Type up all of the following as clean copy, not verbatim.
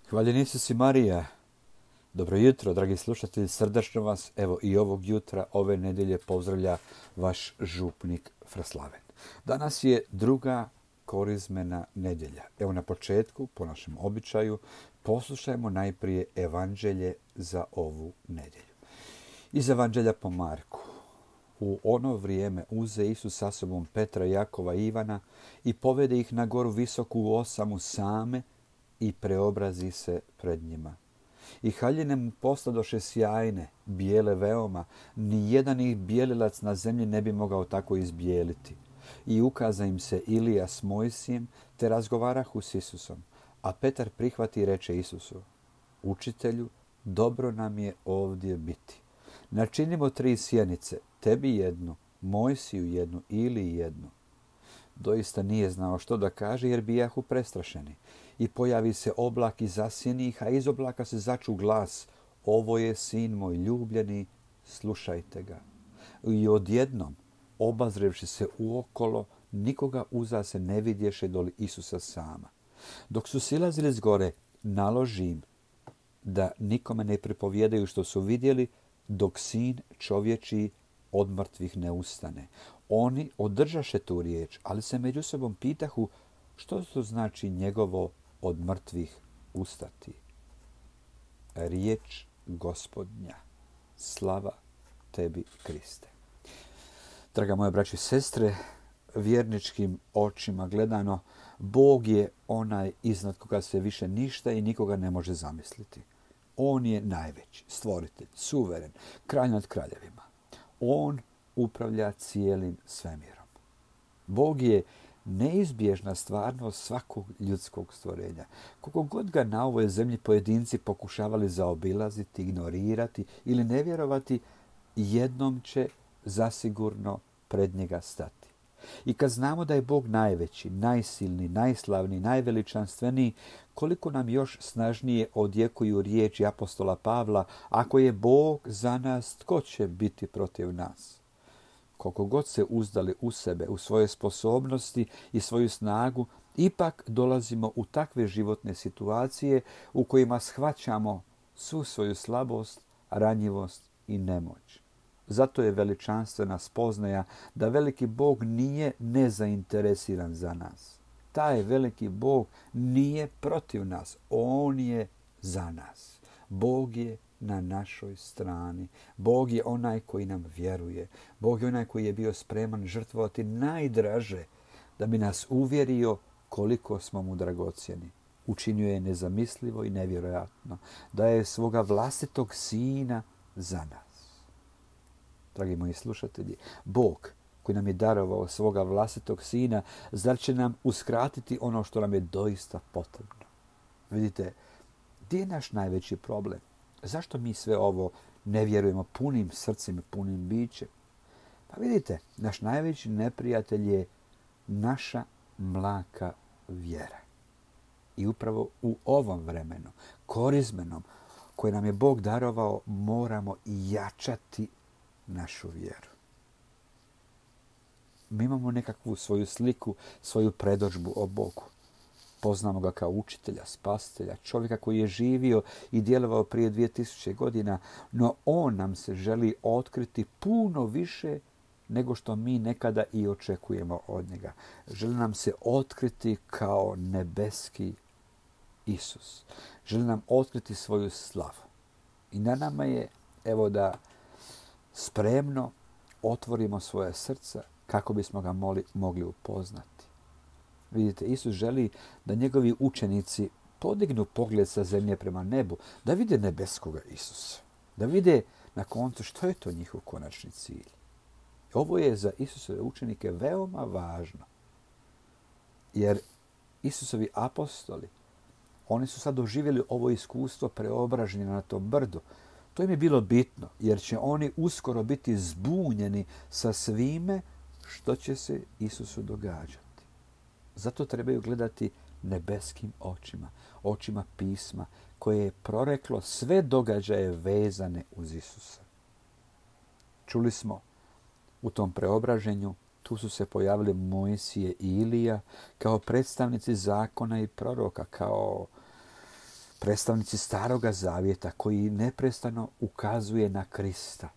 Hvaljen Isus i Marija. Dobro jutro, dragi slušatelji, srdačno vas, evo i ovog jutra, ove nedelje pozdravlja vaš župnik Fraslaven. Danas je druga korizmena nedjelja. Evo na početku, po našem običaju, poslušajmo najprije evanđelje za ovu nedjelju. Iz evanđelja po Marku. U ono vrijeme uze Isus sa sobom Petra, Jakova i Ivana i povede ih na goru visoku u osamu same i preobrazi se pred njima. I haljine mu posladoše sjajne, bijele veoma, ni jedan ih bijelilac na zemlji ne bi mogao tako izbijeliti. I ukaza im se Ilija s Mojsijem, te razgovarahu s Isusom. A Petar prihvati i reče Isusu: Učitelju, dobro nam je ovdje biti. Načinimo 3 sjenice, tebi jednu, Mojsiju jednu, Iliji jednu. Doista nije znao što da kaže, jer bijahu prestrašeni. I pojavi se oblak i zasjeni ih, a iz oblaka se začu glas: Ovo je sin moj ljubljeni, slušajte ga. I odjednom, obazrevši se uokolo, nikoga uza se ne vidješe doli Isusa sama. Dok su silazili s gore, naloži im da nikome ne pripovjedaju što su vidjeli, dok sin čovječiji od mrtvih ne ustane. Oni održaše tu riječ, ali se među sobom pitahu što to znači njegovo od mrtvih ustati. Riječ Gospodnja. Slava tebi, Kriste. Draga moja braćo i sestre, vjerničkim očima gledano, Bog je onaj iznad koga se više ništa i nikoga ne može zamisliti. On je najveći, stvoritelj, suveren, kralj nad kraljevima. On upravlja cijelim svemirom. Bog je neizbježna stvarnost svakog ljudskog stvorenja. Koliko god ga na ovoj zemlji pojedinci pokušavali zaobilaziti, ignorirati ili ne vjerovati, jednom će zasigurno pred njega stati. I kad znamo da je Bog najveći, najsilniji, najslavniji, najveličanstveniji, koliko nam još snažnije odjekuju riječi apostola Pavla: ako je Bog za nas, tko će biti protiv nas? Koliko god se uzdali u sebe, u svoje sposobnosti i svoju snagu, ipak dolazimo u takve životne situacije u kojima shvaćamo svu svoju slabost, ranjivost i nemoć. Zato je veličanstvena spoznaja da veliki Bog nije nezainteresiran za nas. Taj veliki Bog nije protiv nas, on je za nas. Bog je na našoj strani. Bog je onaj koji nam vjeruje. Bog je onaj koji je bio spreman žrtvovati najdraže da bi nas uvjerio koliko smo mu dragocjeni. Učinio je nezamislivo i nevjerojatno da je svoga vlastitog sina za nas. Dragi moji slušatelji, Bog koji nam je darovao svoga vlastitog sina, zar će nam uskratiti ono što nam je doista potrebno? Vidite, gdje je naš najveći problem? Zašto mi sve ovo ne vjerujemo punim srcem i punim bićem? Pa vidite, naš najveći neprijatelj je naša mlaka vjera. I upravo u ovom vremenu, korizmenom, koje nam je Bog darovao, moramo jačati našu vjeru. Mi imamo nekakvu svoju sliku, svoju predodžbu o Bogu. Poznamo ga kao učitelja, spasitelja, čovjeka koji je živio i djelovao prije 2000 godina, no on nam se želi otkriti puno više nego što mi nekada i očekujemo od njega. Želi nam se otkriti kao nebeski Isus. Želi nam otkriti svoju slavu. I na nama je, evo, da spremno otvorimo svoje srca kako bismo ga mogli upoznati. Vidite, Isus želi da njegovi učenici podignu pogled sa zemlje prema nebu, da vide nebeskoga Isusa, da vide na koncu što je to njihov konačni cilj. Ovo je za Isusove učenike veoma važno, jer Isusovi apostoli, oni su sad doživjeli ovo iskustvo preobraženja na tom brdu. To im je bilo bitno, jer će oni uskoro biti zbunjeni sa svime što će se Isusu događati. Zato trebaju gledati nebeskim očima, očima pisma, koje je proreklo sve događaje vezane uz Isusa. Čuli smo u tom preobraženju, tu su se pojavili Mojsije i Ilija kao predstavnici zakona i proroka, kao predstavnici Staroga Zavjeta koji neprestano ukazuje na Krista.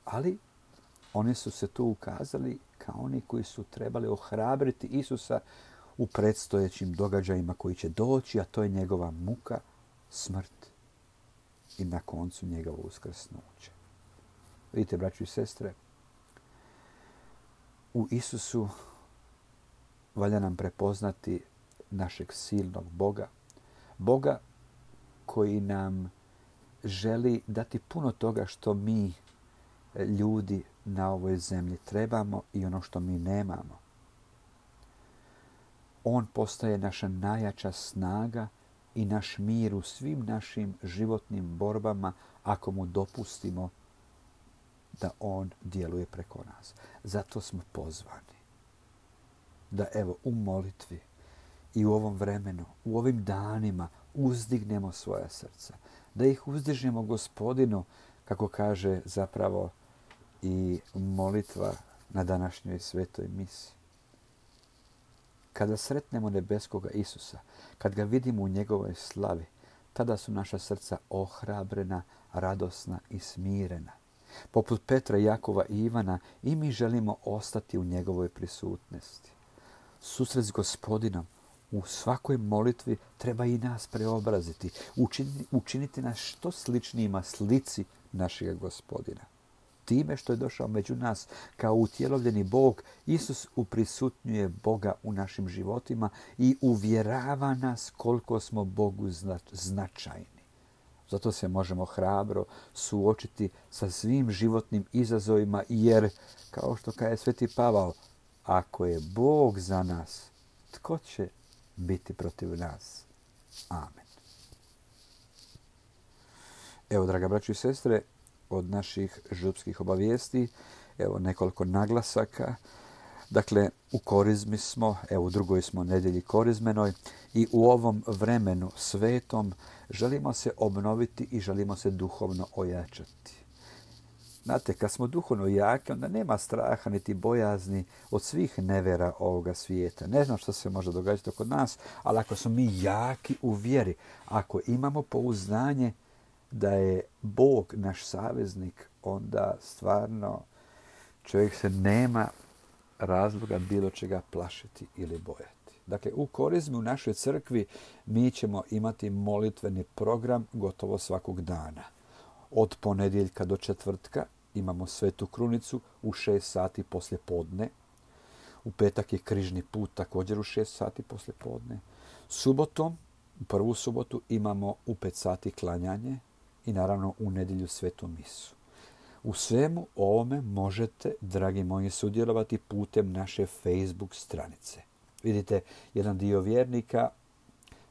Ali oni su se tu ukazali kao oni koji su trebali ohrabriti Isusa u predstojećim događajima koji će doći, a to je njegova muka, smrt i na koncu njegovo uskrsnuće. Vidite, braći i sestre, u Isusu valja nam prepoznati našeg silnog Boga. Boga koji nam želi dati puno toga što mi, ljudi na ovoj zemlji, trebamo i ono što mi nemamo. On postaje naša najjača snaga i naš mir u svim našim životnim borbama ako mu dopustimo da on djeluje preko nas. Zato smo pozvani da evo u molitvi i u ovom vremenu, u ovim danima uzdignemo svoja srca. Da ih uzdižemo Gospodinu, kako kaže zapravo i molitva na današnjoj svetoj misi. Kada sretnemo nebeskoga Isusa, kad ga vidimo u njegovoj slavi, tada su naša srca ohrabrena, radosna i smirena. Poput Petra, Jakova i Ivana, i mi želimo ostati u njegovoj prisutnosti. Susret s Gospodinom u svakoj molitvi treba i nas preobraziti, učiniti nas što sličnijima slici našeg Gospodina. Time što je došao među nas kao utjelovljeni Bog, Isus uprisutnjuje Boga u našim životima i uvjerava nas koliko smo Bogu značajni. Zato se možemo hrabro suočiti sa svim životnim izazovima, jer, kao što kaže Sveti Pavao, ako je Bog za nas, tko će biti protiv nas? Amen. Evo, draga braćo i sestre, od naših župskih obavijesti, evo nekoliko naglasaka. Dakle, u korizmi smo, evo u drugoj smo nedjelji korizmenoj i u ovom vremenu svetom želimo se obnoviti i želimo se duhovno ojačati. Znate, kad smo duhovno jaki, onda nema straha niti bojazni od svih nevjera ovoga svijeta. Ne znam što se može događati oko nas, ali ako smo mi jaki u vjeri, ako imamo pouzdanje da je Bog naš saveznik, onda stvarno čovjek se nema razloga bilo čega plašiti ili bojati. Dakle, u korizmi u našoj crkvi mi ćemo imati molitveni program gotovo svakog dana. Od ponedjeljka do četvrtka imamo Svetu krunicu u 6 sati poslje podne. U petak je križni put također u 6 sati poslje podne. Subotom, prvu subotu, imamo u 5 sati klanjanje i naravno u nedjelju svetu misu. U svemu ovome možete, dragi moji, sudjelovati putem naše Facebook stranice. Vidite, jedan dio vjernika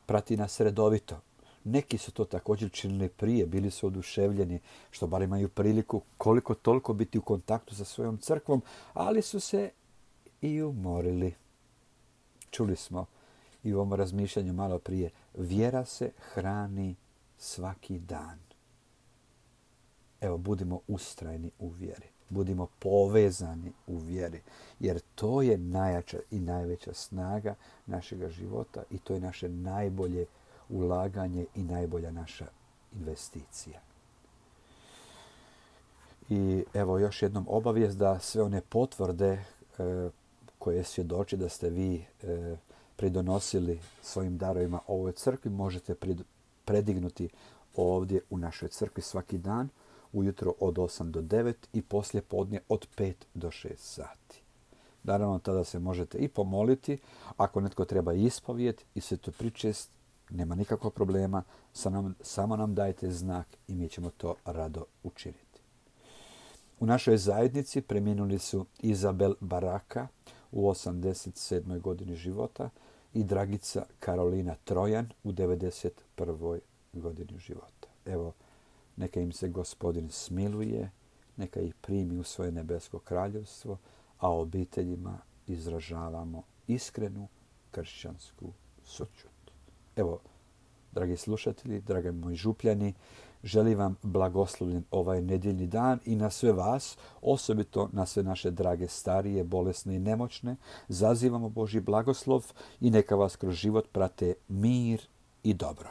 prati nas redovito. Neki su to također činili prije, bili su oduševljeni, što bar imaju priliku koliko toliko biti u kontaktu sa svojom crkvom, ali su se i umorili. Čuli smo i u ovom razmišljanju malo prije, vjera se hrani svaki dan. Evo, budimo ustrajni u vjeri. Budimo povezani u vjeri. Jer to je najjača i najveća snaga našega života i to je naše najbolje ulaganje i najbolja naša investicija. I evo još jednom obavijest da sve one potvrde koje svjedoči da ste vi pridonosili svojim darovima ovoj crkvi možete predignuti ovdje u našoj crkvi svaki dan, ujutro od 8 do 9 i poslije podne od 5 do 6 sati. Naravno, tada se možete i pomoliti. Ako netko treba ispovijed i svetopričest, nema nikakvog problema. Samo nam dajte znak i mi ćemo to rado učiniti. U našoj zajednici preminuli su Izabel Baraka u 87. godini života i Dragica Karolina Trojan u 91. godini života. Evo, neka im se Gospodin smiluje, neka ih primi u svoje nebesko kraljevstvo, a obiteljima izražavamo iskrenu kršćansku sućut. Evo, dragi slušatelji, dragi moji župljani, želim vam blagoslovljen ovaj nedjeljni dan i na sve vas, osobito na sve naše drage starije, bolesne i nemoćne, zazivamo Božji blagoslov i neka vas kroz život prate mir i dobro.